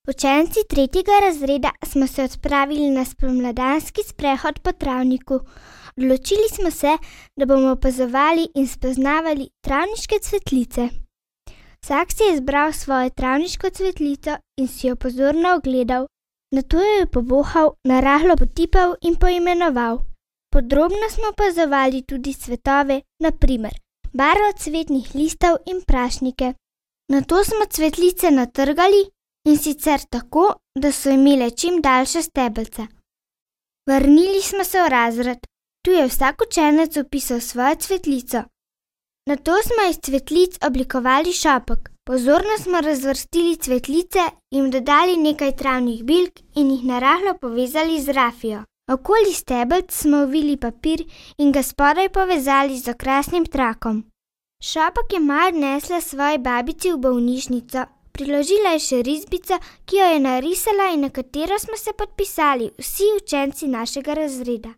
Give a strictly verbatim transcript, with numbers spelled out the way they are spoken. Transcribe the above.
Učenci tretjega razreda smo se odpravili na spomladanski sprehod po travniku. Odločili smo se, da bomo opazovali in spoznavali travniške cvetlice. Vsak si je izbral svojo travniško cvetlico in si jo pozorno ogledal. Nato jo je povohal, narahlo potipal in poimenoval. Podrobno smo opazovali tudi cvetove, na primer barvo cvetnih listov in prašnike. Nato smo cvetlice natrgali, in sicer tako, da so imele čim daljše stebelce. Vrnili smo se v razred. Tu je vsak učenec opisal svojo cvetlico. Nato smo iz cvetlic oblikovali šopek. Pozorno smo razvrstili cvetlice, jim dodali nekaj travnih bilk in jih narahlo povezali z rafijo. Okoli stebelc smo ovili papir in ga spodaj povezali z okrasnim trakom. Šopek je Maja odnesla svoji babici v bolnišnico. Priložila je še risbico, ki jo je narisala in na katero smo se podpisali vsi učenci našega razreda.